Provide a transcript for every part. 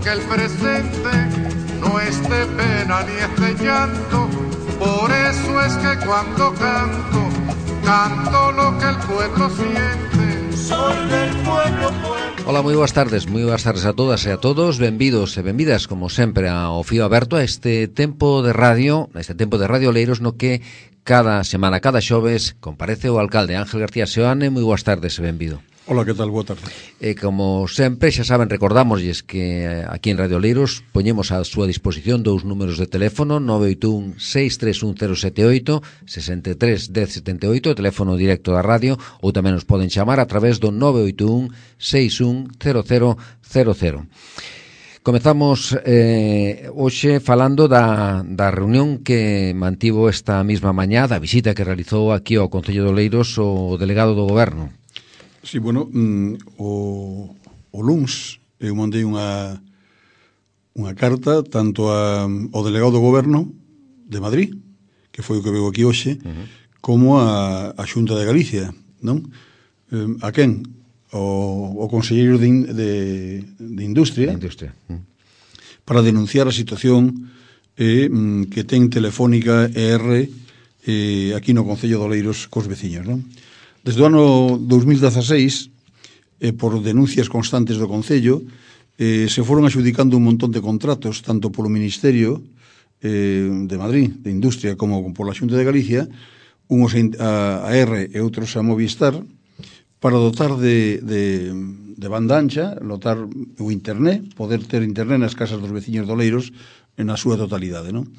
que el presente no es de pena ni es de llanto. Por eso es que cuando canto, canto lo que el pueblo siente. Soy del pueblo, pueblo. Ola, moi boas tardes a todas e a todos. Benvidos e benvidas, como sempre, ao Fío Aberto, a este tempo de radio Oleiros, no que cada semana, cada xoves, comparece o alcalde Ángel García Seoane. Moi boas tardes e benvido. Hola, que tal? Boa tarde. E como sempre, xa saben, recordámoslles que aquí en Radio Oleiros poñemos a súa disposición dous números de teléfono: 981-631-078, 63-1078, o teléfono directo da radio, ou tamén nos poden chamar a través do 981-610000. Comezamos hoxe falando da reunión que mantivo esta mesma mañá, da visita que realizou aquí ao Concello de Oleiros o delegado do Goberno. Sí, bueno, o luns eu mandei unha carta tanto ao delegado do Goberno de Madrid, que foi o que veo aquí hoxe, como a Xunta de Galicia, non? A quen? O conselleiro de Industria, para denunciar a situación que ten Telefónica ER aquí no Concello de Oleiros cos veciños, non? Desde o ano 2016, por denuncias constantes do Concello, se foron adjudicando un montón de contratos, tanto polo Ministerio de Madrid, de Industria, como pola Xunta de Galicia, unhos a R e outros a Movistar, para dotar de banda ancha, dotar o internet, poder ter internet nas casas dos veciños de Oleiros na súa totalidade, non?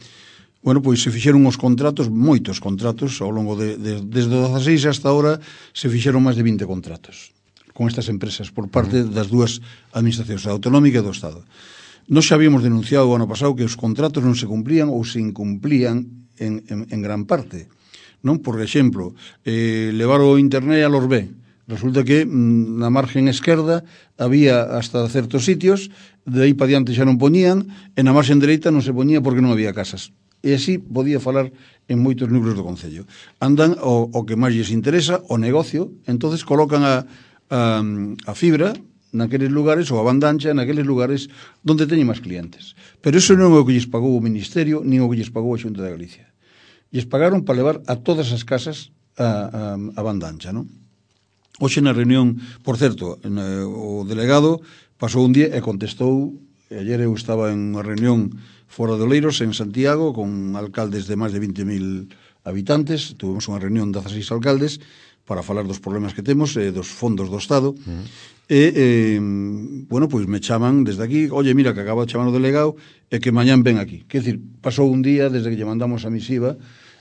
Bueno, pois se fixeron uns contratos, moitos contratos, ao longo desde o 16 hasta ahora se fixeron máis de 20 contratos con estas empresas por parte das dúas administracións, a autonómica e do Estado. Nós xa habíamos denunciado o ano pasado que os contratos non se cumplían ou se incumplían en gran parte, non? Por exemplo, levar o internet a los B. Resulta que na margen esquerda había hasta certos sitios, de aí para diante xa non poñían, e na margen dereita non se poñía porque non había casas. E así podía falar en moitos núcleos do Concello. Andan o que máis lles interesa, o negocio, entonces colocan a fibra naqueles lugares, ou a banda ancha naqueles lugares onde teñen máis clientes. Pero iso non é o que lles pagou o Ministerio, nin o que lles pagou a Xunta de Galicia. Lles pagaron para levar a todas as casas a banda ancha, non? Hoxe na reunión, por certo, o delegado pasou un día e contestou. Ayer eu estaba en unha reunión fora de Oleiros, en Santiago, con alcaldes de máis de 20.000 habitantes. Tuvemos unha reunión de 16 alcaldes para falar dos problemas que temos, dos fondos do Estado. Bueno, pois me chaman desde aquí: oye, mira, que acaba de chamar o delegado e que mañán ven aquí. Quer dicir, pasou un día desde que lle mandamos a misiva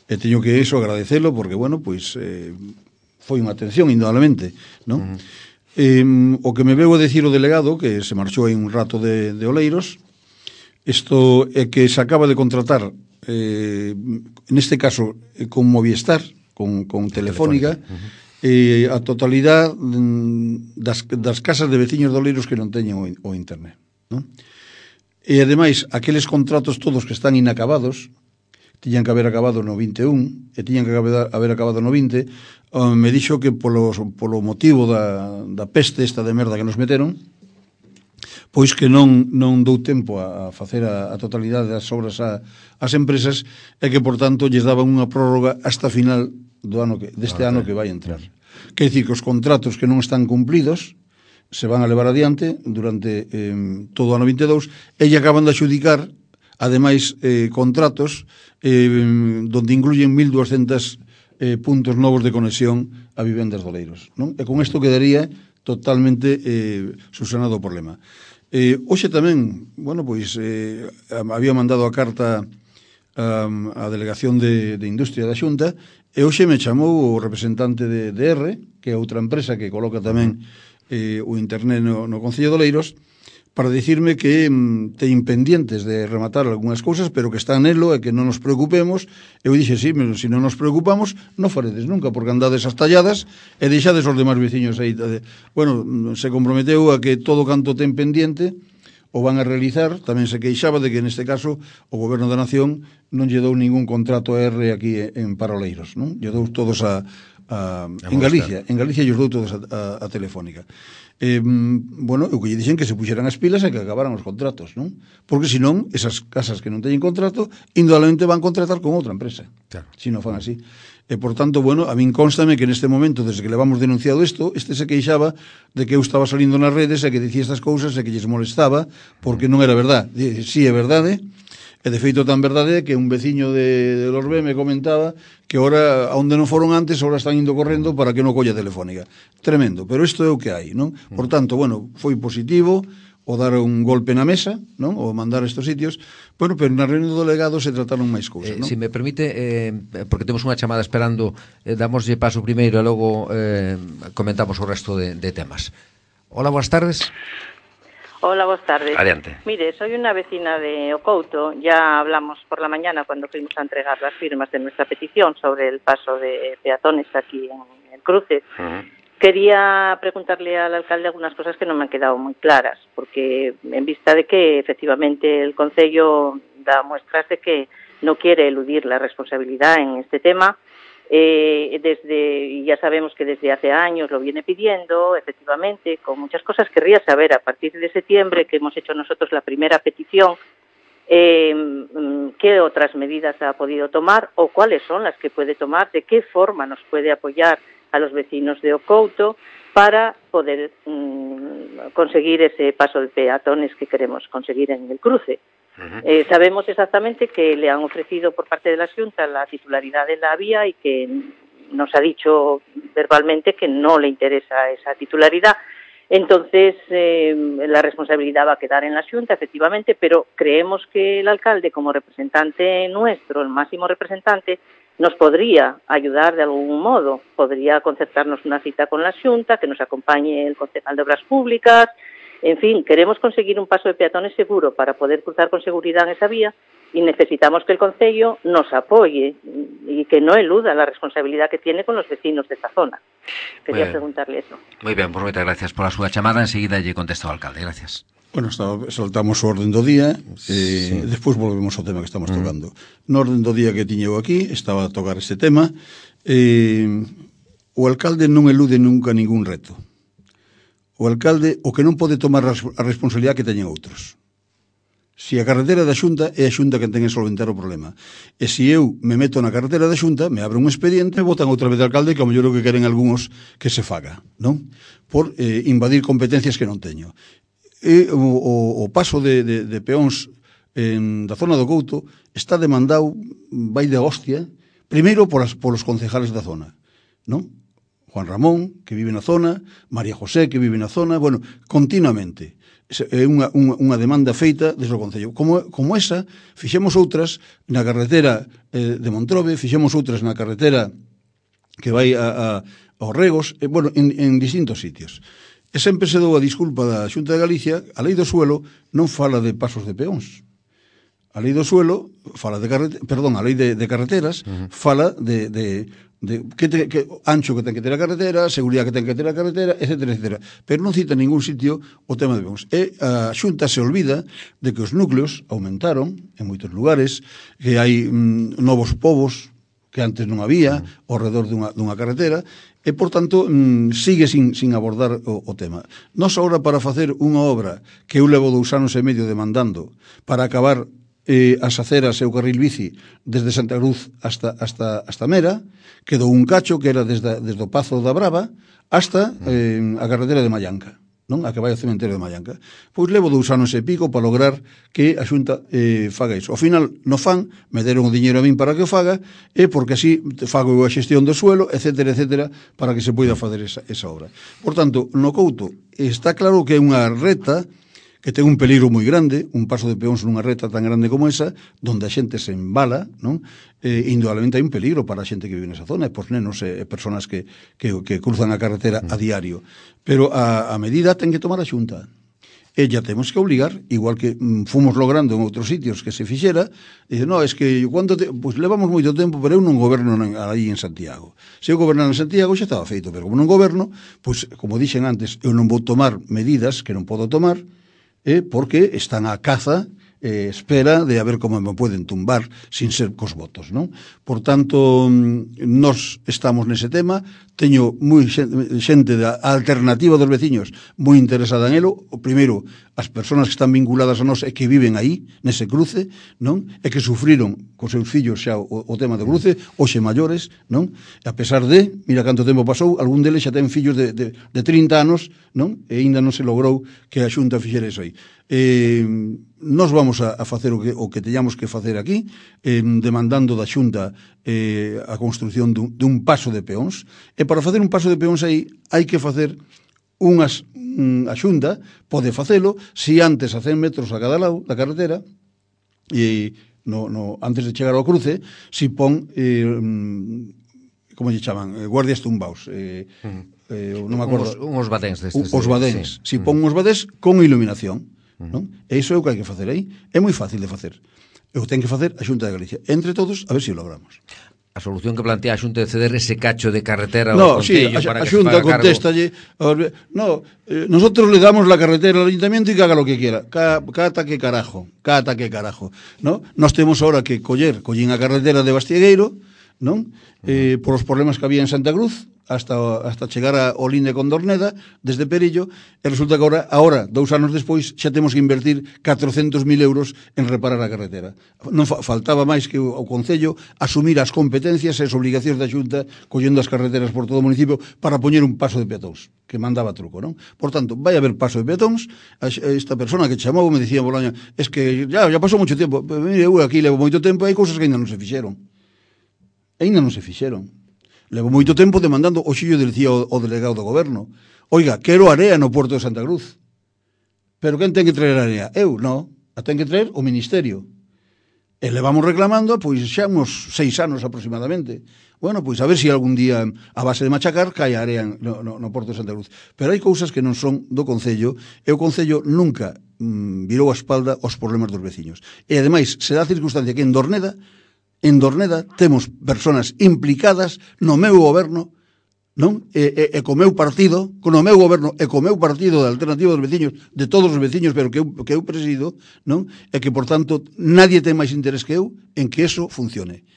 e teño que agradecelo, porque, bueno, pois foi unha atención, indudablemente, non? O que me veu a decir o delegado, que se marchou aí un rato de Oleiros, isto é que se acaba de contratar, neste caso con Movistar, con Telefónica, a totalidade das casas de veciños de Oleiros que non teñen o internet, non? E ademais, aqueles contratos todos que están inacabados, tiñan que haber acabado no 21 e tiñan que haber acabado no 20, me dixo que polo motivo da peste esta de merda que nos meteron, pois que non dou tempo a facer a totalidade das obras ás empresas, e que, por tanto, lles daban unha prórroga hasta final deste ano que vai entrar. Quer dicir que os contratos que non están cumplidos se van a levar adiante durante todo o ano 22, e acaban de adxudicar ademais contratos donde incluyen 1.200 puntos novos de conexión a vivendas de Oleiros, non? E con isto quedaría totalmente subsanado o problema. Hoxe tamén, bueno, pois había mandado a carta a delegación de Industria da Xunta, e hoxe me chamou o representante de R, que é outra empresa que coloca tamén o internet no Concello de Oleiros, para dicirme que teñen pendientes de rematar algunhas cousas, pero que están nelo e que non nos preocupemos. Eu dixe, sí, pero se non nos preocupamos, non faredes nunca, porque andades as talladas e deixades os demais veciños aí. Bueno, se comprometeu a que todo canto ten pendiente o van a realizar. Tamén se queixaba de que neste caso o Goberno da Nación non lle dou ningún contrato a R aquí en Paroleiros, non? Lle dou todos en Galicia lles dou todas a Telefónica. Bueno, o que lle dixen que se puxeran as pilas e que acabaran os contratos, non? Porque senón, esas casas que non teñen contrato, indudablemente van contratar con outra empresa, claro. Si non fan así. E, por tanto, bueno, a min constame que neste momento, desde que levamos denunciado isto, este se queixaba de que eu estaba salindo nas redes e que dicía estas cousas e que lles molestaba porque non era verdade. Si, é verdade. E de feito tan verdade que un veciño de Lorbé me comentaba que ahora, onde non foron antes, ahora están indo correndo para que non colla Telefónica. Tremendo, pero isto é o que hai, non? Por tanto, bueno, foi positivo o dar un golpe na mesa, non? O mandar a estos sitios, bueno, pero na reunión do delegado se trataron máis cousas, non? Se me permite, porque temos unha chamada esperando, damoslle paso primeiro e logo comentamos o resto de temas. Hola, boas tardes. Hola, buenas tardes. Adelante. Mire, soy una vecina de Ocouto. Ya hablamos por la mañana cuando fuimos a entregar las firmas de nuestra petición sobre el paso de peatones aquí en el cruce. Quería preguntarle al alcalde algunas cosas que no me han quedado muy claras, porque en vista de que efectivamente el concello da muestras de que no quiere eludir la responsabilidad en este tema. Ya sabemos que desde hace años lo viene pidiendo, efectivamente, con muchas cosas. Querría saber, a partir de septiembre, que hemos hecho nosotros la primera petición, qué otras medidas ha podido tomar o cuáles son las que puede tomar, de qué forma nos puede apoyar a los vecinos de Ocouto para poder conseguir ese paso de peatones que queremos conseguir en el cruce. Sabemos exactamente que le han ofrecido por parte de la Xunta la titularidad de la vía y que nos ha dicho verbalmente que no le interesa esa titularidad. Entonces, la responsabilidad va a quedar en la Xunta, efectivamente, pero creemos que el alcalde, como representante nuestro, el máximo representante, nos podría ayudar de algún modo. Podría concertarnos una cita con la Xunta, que nos acompañe el concejal de Obras Públicas. En fin, queremos conseguir un paso de peatones seguro para poder cruzar con seguridad en esa vía y necesitamos que el concello nos apoye y que no eluda la responsabilidad que tiene con los vecinos de esta zona. Quería preguntarle eso. Moi ben, pues moitas gracias pola súa chamada. Enseguida lle contesto ao alcalde. Gracias. Bueno, soltamos o orden do día despois volvemos ao tema que estamos tocando. No orden do día que tiñeu aquí estaba a tocar este tema. O alcalde non elude nunca ningún reto. O alcalde o que non pode tomar a responsabilidade que teñen outros. Si a carretera da Xunta é a Xunta que ten que solventar o problema. E se eu me meto na carretera da Xunta, me abre un expediente e botan outra vez ao alcalde, que ao mellor o que queren algúns que se faga, non? Por invadir competencias que non teño. E o paso de peóns da zona do Couto está demandado, vai de hostia, primeiro polos concejales da zona, non? Juan Ramón, que vive na zona, María José, que vive na zona, bueno, continuamente. É unha demanda feita desde o Concello. Como esa, fixemos outras na carretera de Montrobe, fixemos outras na carretera que vai aos Regos, bueno, en distintos sitios. E sempre se dou a disculpa da Xunta de Galicia, a lei do suelo non fala de pasos de peóns. A lei do suelo fala de a lei de carreteras fala de que ancho que ten que ter a carretera, seguridade que ten que ter a carretera, etcétera, etcétera. Pero non cita en ningún sitio o tema de peóns. E a Xunta se olvida de que os núcleos aumentaron en moitos lugares, que hai novos povos que antes non había ao redor dunha carretera, e, por tanto, sigue sin abordar o tema. Nós, agora, para facer unha obra que eu levo 2 anos e medio demandando para acabar as aceras e o carril bici desde Santa Cruz hasta Mera, quedou un cacho que era desde o Pazo da Brava hasta a carretera de Mallanca, non? A que vai ao cementerio de Mallanca. Pois levo 2 anos e pico para lograr que a Xunta faga iso. Ao final, no fan, me deron o diñeiro a min para que o faga, e porque así fago a xestión do suelo, etcétera, etcétera, para que se poida fazer esa obra. Por tanto, no Couto está claro que é unha reta que ten un peligro moi grande, un paso de peóns nunha reta tan grande como esa, donde a xente se embala, non? Indudablemente hai un peligro para a xente que vive nesa zona, e por nenos e personas que cruzan a carretera a diario. Pero a medida ten que tomar a Xunta. E ya temos que obligar, igual que fomos logrando en outros sitios que se fixera, dice, no, es que pues levamos moito tempo, pero eu non goberno aí en Santiago. Se eu gobernara en Santiago xa estaba feito, pero como non goberno, pues, como dixen antes, eu non vou tomar medidas que non podo tomar, porque están a caza espera de a ver como me poden tumbar sin ser cos votos, non? Por tanto, nós estamos nese tema, teño moi xente da alternativa dos veciños moi interesada en elo. O primeiro, as persoas que están vinculadas a nós e que viven aí, nese cruce, non? E que sufriron cos seus fillos xa o tema do cruce, hoxe maiores, non? E a pesar de, mira canto tempo pasou, algún deles xa ten fillos de 30 anos, non? E ainda non se logrou que a Xunta fixera iso aí. Nós vamos a facer o que teñamos que facer aquí, demandando da Xunta a construción dun paso de peóns, e para facer un paso de peóns aí hai que facer a Xunta pode facelo si antes a 100 metros a cada lado da carretera e antes de chegar ao cruce si pon como lle chaman, guardias tumbaos non me acordo, uns badéns destes, os badéns, si pon uns badéns con iluminación, non? E iso é o que hai que facer aí, é moi fácil de facer, e o ten que facer a Xunta de Galicia, entre todos, a ver se o logramos. A solución que plantea a Xunta de ceder ese cacho de carretera ao Concello para que a Xunta contéstalle, nosotros le damos la carretera al ayuntamiento y que haga lo que quiera. Cata que carajo, ¿no? Nos temos ahora que collín a carretera de Bastiegueiro, non? Por os problemas que había en Santa Cruz, hasta chegar ao Linde con Dorneda, desde Perillo, e resulta que agora 2 anos despois, xa temos que invertir 400.000 euros en reparar a carretera. Non faltaba máis que o Concello asumir as competencias e as obligacións da Xunta collendo as carreteras por todo o municipio para poñer un paso de peatóns, que mandaba truco, non? Por tanto, vai haber paso de peatóns. Esta persona que chamou me dicía en Bolaña, es que ya pasou moito tempo, mire, eu aquí levo moito tempo, hai cousas que ainda non se fixeron. Levo moito tempo demandando, o xillo dicía o delegado do goberno, oiga, quero area no Porto de Santa Cruz. Pero quen ten que traer a area? Eu, non. A ten que traer o Ministerio. E levamos reclamando, pois xa uns 6 anos aproximadamente. Bueno, pois a ver se algún día, a base de machacar, cae a area no Porto de Santa Cruz. Pero hai cousas que non son do Concello, e o Concello nunca virou a espalda aos problemas dos veciños. E ademais, se dá a circunstancia que en Dorneda temos persoas implicadas no meu goberno, non? E co meu partido, no meu goberno e co meu partido de Alternativa dos Veciños, de todos os veciños, pero que eu presido, non? E que, por tanto, nadie ten máis interés que eu en que eso funcione.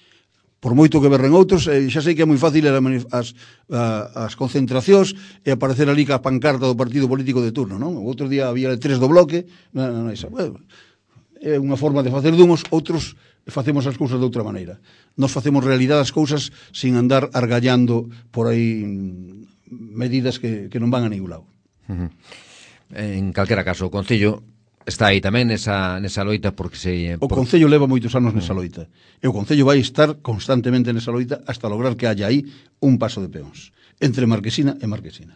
Por moito que berren outros, xa sei que é moi fácil as concentracións e aparecer ali ca pancarta do partido político de turno, non? O outro día había 3 do bloque, é unha forma de facer dumos, outros facemos as cousas de outra maneira. Nos facemos realidade as cousas sin andar argallando por aí medidas que non van a ningún lado. En calquera caso, o Concello está aí tamén nesa loita porque o Concello leva moitos anos nesa loita. E o Concello vai estar constantemente nesa loita hasta lograr que haya aí un paso de peóns entre Marquesina e Marquesina.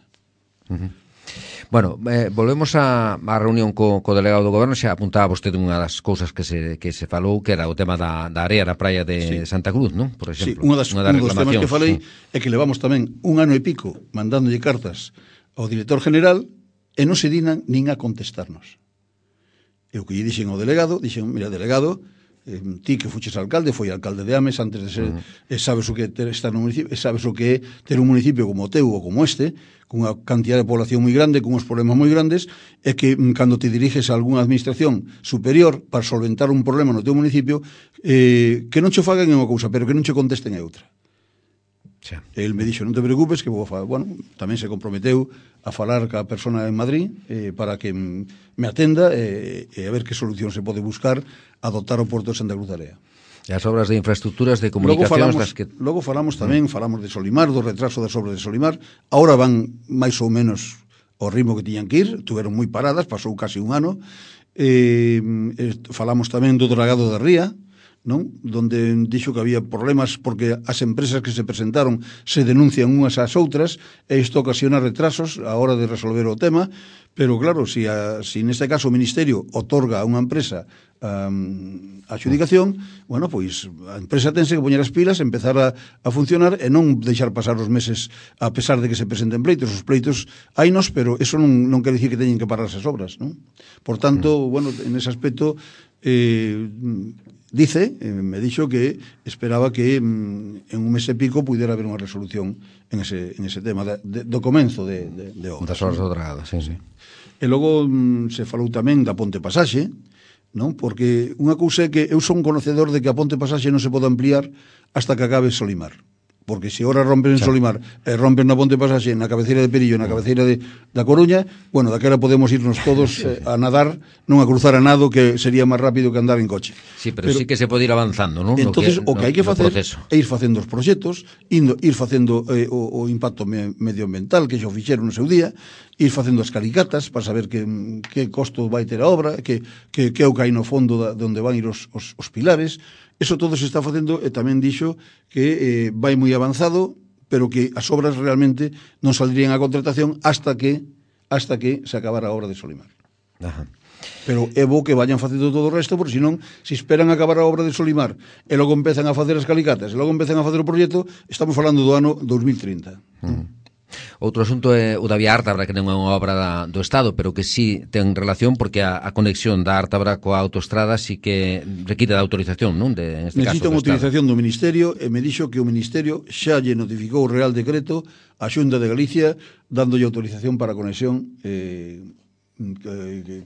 Bueno, volvemos á reunión co delegado do goberno. Xa apuntaba vostede unha das cousas que se falou, que era o tema da area na praia de Santa Cruz, non? Por exemplo, un dos temas que falei é que levamos tamén 1 ano e pico mandándolle cartas ao director general e non se dinan nin a contestarnos. E o que lle dixen ao delegado, mira, delegado, ti que fuches alcalde, foi alcalde de Ames antes de ser, sabes o que é estar no municipio, sabes o que é ter un municipio como o teu ou como este, cunha cantidad de población moi grande, con uns problemas moi grandes, e que cando te diriges a algunha administración superior para solventar un problema no teu municipio, que non che fagan en unha cousa, pero que non che contesten en outra. El me dixo, non te preocupes, que vou a falar. Bueno, tamén se comprometeu a falar ca persona en Madrid para que me atenda e a ver que solución se pode buscar a dotar o Porto de Santa Cruz de Area. E as obras de infraestructuras de comunicacións Logo falamos tamén, falamos de Solimar, do retraso das obras de Solimar. Ahora van máis ou menos ao ritmo que tiñan que ir, tuveron moi paradas, pasou casi 1 ano. Falamos tamén do dragado de Ría, non? Donde dixo que había problemas porque as empresas que se presentaron se denuncian unhas ás outras e isto ocasiona retrasos a hora de resolver o tema, pero claro, si neste caso o Ministerio otorga a unha empresa a adjudicación, bueno, pois a empresa tense que poñer as pilas, empezar a funcionar e non deixar pasar os meses a pesar de que se presenten pleitos. Os pleitos hainos, pero eso non quere dicir que teñen que parar esas obras, non? Por tanto, bueno, en ese aspecto me dixo que esperaba que en un mes e pico puidera haber unha resolución en ese tema do comenzo de obras. Das obras do dragado, sí. E logo se falou tamén da Ponte Pasaxe, non? Porque unha cousa é que eu son conocedor de que a ponte pasaxe non se pode ampliar hasta que acabe Solimar. Porque se ora rompen en Solimar e rompen na ponte pasaxe na cabeceira de Perillo, na cabeceira da Coruña, bueno, daquela podemos irnos todos a nadar, non a cruzar a nado, que sería máis rápido que andar en coche. Sí, pero sí que se pode ir avanzando, non? Entonces, o que hai que facer é ir facendo os proxectos, ir facendo o impacto medioambiental, que xo fixeron no seu día, ir facendo as calicatas para saber que costo vai ter a obra, que é o que hai no fondo de onde van ir os pilares. Eso todo se está facendo, e tamén dixo que vai moi avanzado, pero que as obras realmente non saldrían a contratación hasta que se acabara a obra de Solimar. Ajá. Pero é bo que vayan facendo todo o resto, porque senón, se esperan a acabar a obra de Solimar e logo empezan a facer as calicatas e logo empezan a facer o proxecto, estamos falando do ano 2030. Outro asunto é o da Vía Ártabra, que non é unha obra do Estado, pero que sí ten relación, porque a conexión da Ártabra coa autoestrada sí que require da autorización, non? Necesita unha autorización do Ministerio, e me dixo que o Ministerio xa lle notificou o Real Decreto á Xunta de Galicia, dándolle autorización para a conexión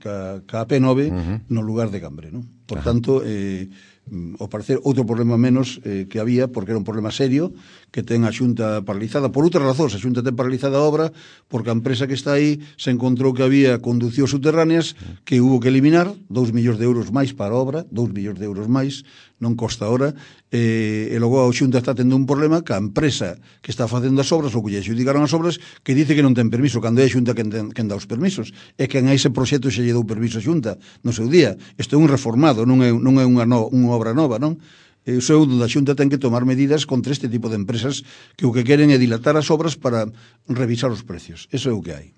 ca AP9 no lugar de Cambre, non? Por tanto, ao parecer, outro problema menos que había, porque era un problema serio, que ten a Xunta paralizada. Por outras razóns, a Xunta ten paralizada a obra porque a empresa que está aí se encontrou que había conducións subterráneas que hubo que eliminar, 2 millóns de euros máis para a obra, 2 millóns de euros máis, non costa ahora, e logo a Xunta está tendo un problema que a empresa que está facendo as obras, ou que lle adxudicaron as obras, que dice que non ten permiso, cando é a Xunta quen dá os permisos. É que en ese proxecto xa lle dou permiso a Xunta no seu día. Isto é un reformado, non é unha obra nova, non? O seu da Xunta ten que tomar medidas contra este tipo de empresas que o que queren é dilatar as obras para revisar os precios. Eso é o que hai.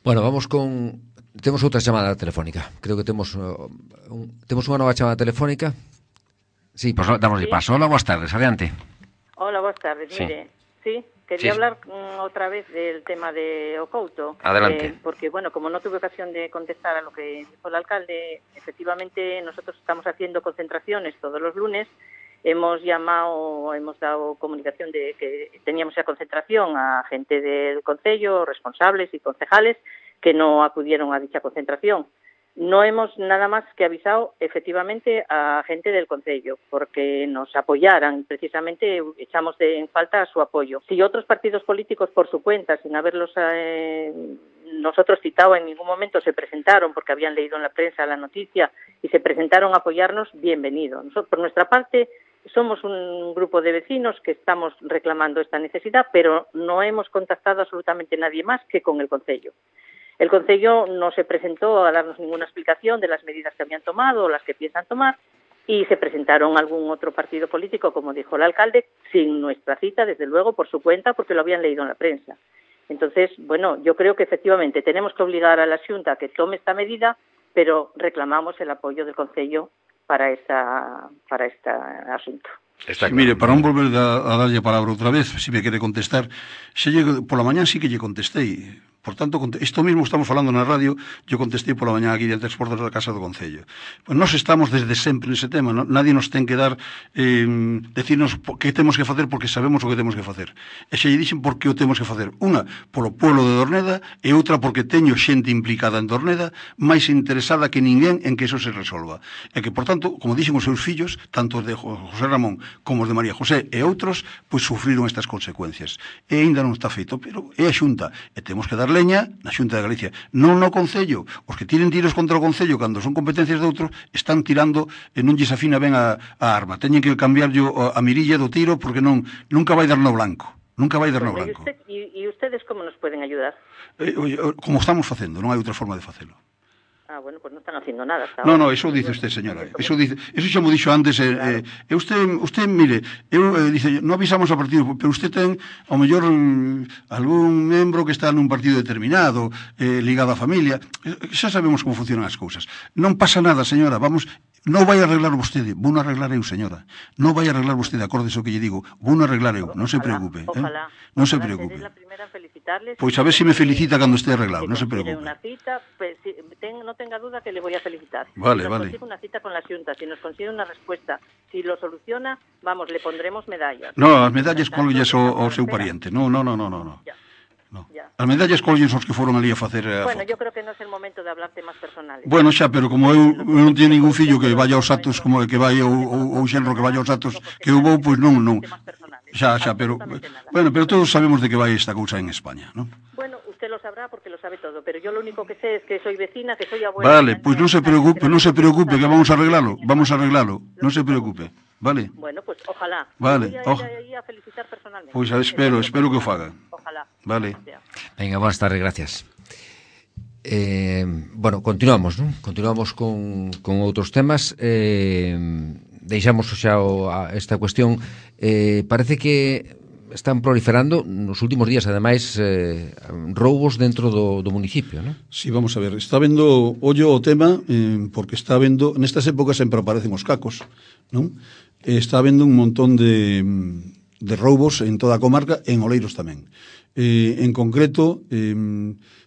Bueno, vamos con... Temos outra chamada telefónica. Creo que temos unha nova chamada telefónica. Sí, pois damoslle paso. Hola, boas tardes, adiante. Hola, boas tardes. Mire, sí, quería hablar otra vez del tema de Ocouto. Adelante. Porque, bueno, como no tuve ocasión de contestar a lo que dijo el alcalde, efectivamente nosotros estamos haciendo concentraciones todos los lunes. Hemos dado comunicación de que teníamos esa concentración a gente del concello, responsables y concejales que no acudieron a dicha concentración. No hemos nada más que avisado efectivamente a gente del concello porque nos apoyaran, precisamente echamos en falta su apoyo. Si otros partidos políticos por su cuenta, sin haberlos nosotros citado en ningún momento, se presentaron porque habían leído en la prensa la noticia y se presentaron a apoyarnos, bienvenido. Nosotros, por nuestra parte, somos un grupo de vecinos que estamos reclamando esta necesidad, pero no hemos contactado absolutamente nadie más que con el concello. El concello no se presentó a darnos ninguna explicación de las medidas que habían tomado o las que piensan tomar y se presentaron algún otro partido político, como dijo el alcalde, sin nuestra cita, desde luego, por su cuenta, porque lo habían leído en la prensa. Entonces, bueno, yo creo que efectivamente tenemos que obligar a la Xunta a que tome esta medida, pero reclamamos el apoyo del concello para este asunto. Mire, para non volver a darlle a palabra outra vez, se me quere contestar, pola mañán sí que lle contestei. Por tanto, isto mismo estamos falando na radio, yo contestei pola mañá aquí diante das portas da Casa do Concello. Pues nós estamos desde sempre nese tema, ¿no? Nadie nos ten que dar, decirnos que temos que facer porque sabemos o que temos que facer. E xa lle dixen por que o temos que facer. Unha, polo pueblo de Dorneda, e outra porque teño xente implicada en Dorneda, máis interesada que ninguén en que eso se resolva. E que, por tanto, como dixen os seus fillos, tanto os de José Ramón como os de María José e outros, pois sufriron estas consecuencias. E aínda non está feito, pero é a Xunta, e temos que dar leña na Xunta de Galicia, non no Concello. Os que tiren tiros contra o Concello cando son competencias de outros están tirando e non lles afina ben a arma. Teñen que cambiar a mirilla do tiro porque nunca vai dar no blanco. Nunca vai dar no blanco. ¿Y ustedes cómo nos pueden ayudar? Como estamos facendo, non hai outra forma de facelo. Ah, bueno, pues no están haciendo nada hasta ahora. No, eso dice usted, señora. Eso xa mo dixo antes. Claro. Usted, mire, dice, non avisamos ao partido, pero usted ten, ao mellor, algún membro que está nun partido determinado, ligado á familia. Xa sabemos como funcionan as cousas. Non pasa nada, señora, vamos... Non vai arreglar vostede, vou non arreglar eu, señora. Non vai arreglar vostede, acórdese o que lle digo. Vou non arreglar eu, non se preocupe. Ojalá. Non se preocupe. Seré la primera en felicitarles. Pois a ver se me felicita cando este arreglado, non se preocupe. Una cita, pues, no tenga duda que le voy a felicitar. Vale, si nos consigue una cita con la Xunta, si nos consigue una respuesta, si lo soluciona, vamos, le pondremos medallas. No, as medallas colguellas ao seu pariente. No. No. As medallas collen os que foron ali a facer Bueno, foto. yo creo que non é el momento de hablar temas personales. Bueno, xa, pero como eu non teño ningún fillo que vaya aos actos, como que vai ou xenro que vaya aos actos que eu vou, pois non. Xa, pero bueno, pero todos sabemos de que vai esta cousa en España, ¿no? Bueno, usted lo sabrá porque lo sabe todo, pero yo lo único que sé es que soy vecina, que soy abuela. Vale, pois non se preocupe, que vamos a arreglalo, non se preocupe. Vale. Bueno, pues ojalá. Vale. Voy a ir a felicitar personalmente. Pois espero que o faga. Ojalá. Vale. Venga, buenas tardes, gracias. Bueno, continuamos, ¿no? Continuamos con outros temas. Deixamos xa esta cuestión. Parece que están proliferando nos últimos días, ademais, roubos dentro do municipio, ¿no? Sí, vamos a ver, está vendo ollo o tema, porque está vendo, nestas épocas sempre aparecen os cacos, non? Está vendo un montón de roubos en toda a comarca, en Oleiros tamén. En concreto,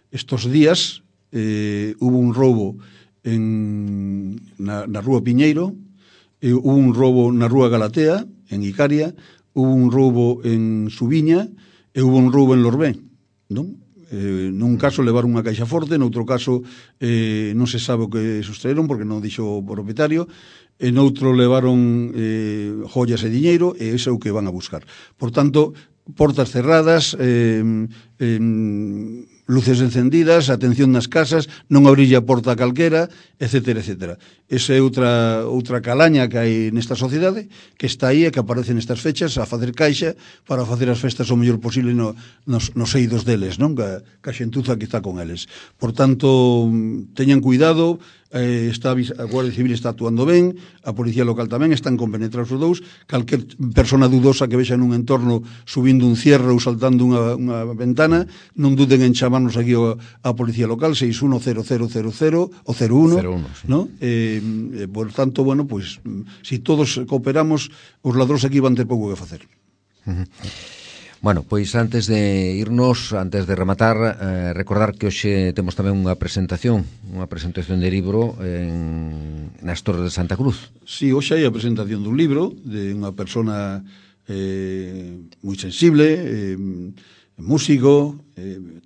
estos días hubo un roubo na Rúa Piñeiro, hubo un roubo na Rúa Galatea, en Icaria, hubo un roubo en Subiña e hubo un roubo en Lorbé, non? Nun caso levaron unha caixa forte, noutro caso non se sabe o que sustraeron porque non dixo o propietario, en outro levaron joyas e diñeiro e ese é o que van a buscar. Por tanto, portas cerradas, luces encendidas, atención nas casas, non abrir a porta a calquera, etcétera, etcétera. Esa é outra calaña que hai nesta sociedade, que está aí e que aparece nestas fechas a facer caixa para facer as festas o mellor posible nos eidos deles, non? Que a xentuza que está con eles. Por tanto, teñan cuidado, a Guardia Civil está actuando ben, a Policía Local tamén, están compenetrados os dous, calquer persona dudosa que vexa nun entorno subindo un cierre ou saltando unha ventana, non duden en chamarnos aquí a Policía Local, 6100000 o 01, sí. ¿No? Por tanto, bueno, pues, si todos cooperamos, os ladróns aquí van ter pouco que facer. Bueno, pois antes de irnos, antes de rematar, recordar que hoxe temos tamén unha presentación de libro nas Torres de Santa Cruz. Sí, hoxe hai a presentación dun libro de unha persona moi sensible, músico,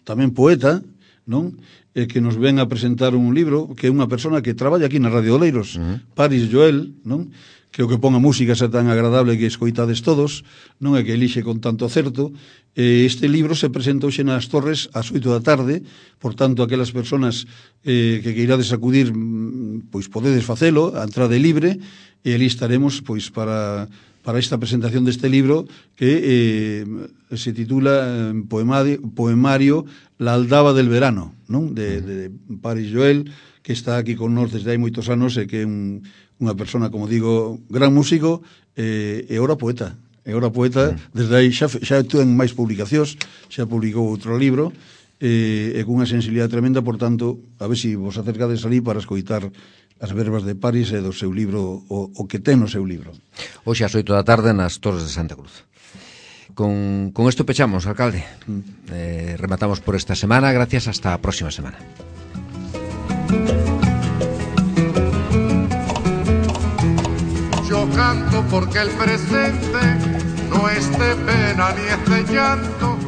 tamén poeta, non? Que nos ven a presentar un libro que é unha persona que traballa aquí na Radio Oleiros, Paris Joel, non? Que o que pon a música xa tan agradable que escoitades todos, non é que elixe con tanto acerto. Este libro se presenta hoxe nas Torres ás 8 da tarde, por tanto, aquelas persoas que queirades acudir, pois podedes facelo, a entrada é libre, e ali estaremos pois para esta presentación deste libro que se titula Poemario La Aldaba del Verano, non? De Paris Joel, que está aquí con nós desde hai moitos anos e que é unha persona, como digo, gran músico e ora poeta. Desde aí xa ten máis publicacións, xa publicou outro libro e cunha sensibilidade tremenda, por tanto, a ver se vos acercades ali para escoitar as verbas de Paris e do seu libro, o que ten no seu libro. Hoxe ás 8 da tarde nas Torres de Santa Cruz. Con isto pechamos, alcalde. Rematamos por esta semana. Gracias, hasta a próxima semana. Yo canto porque el presente no es de pena ni es de llanto,